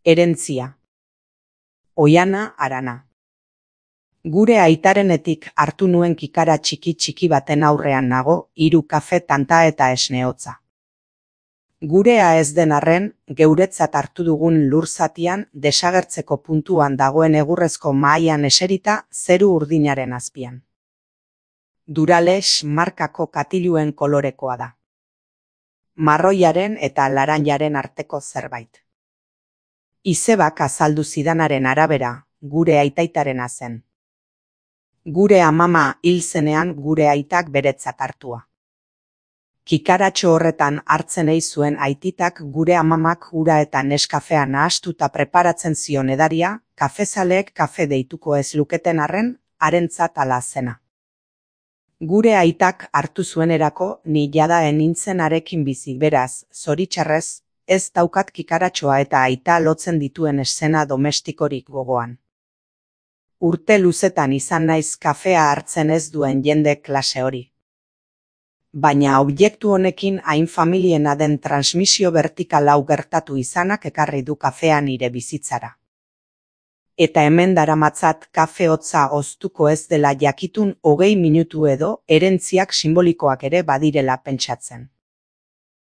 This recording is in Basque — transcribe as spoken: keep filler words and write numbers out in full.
Herentzia. Oiana Arana. Gure aitarenetik hartu nuen kikara txiki txiki baten aurrean nago, hiru kafe tanta eta esne hotza. Gurea ez den arren, geuretzat hartu dugun lur zatian desagertzeko puntuan dagoen egurrezko mahaian eserita zeru urdinaren azpian. Duralex markako katiluen kolorekoa da. Marroiaren eta laranjaren arteko zerbait. Izebak azaldu zidanaren arabera, gure aitaitarena zen. Gure amama hil zenean gure aitak beretzat hartua. Kikaratxo horretan hartzen ei zuen aititak gure amamak ura eta neskafea nahastuta preparatzen zion edaria, kafezaleek kafe deituko ez luketen arren, harentzat ala zena. Gure aitak hartu zuenerako ni jada enintzen arekin bizi, beraz, zoritxarrez, ez daukat kikaratxoa eta aita lotzen dituen eszena domestikorik gogoan. Urte luzetan izan naiz kafea hartzen ez duen jende klase hori. Baina objektu honekin hain familiena den transmisio vertikal hau gertatu izanak ekarri du kafea nire bizitzara. Eta hemen daramatzat kafe hotza oztuko ez dela jakitun hogei minutu edo herentziak simbolikoak ere badirela pentsatzen.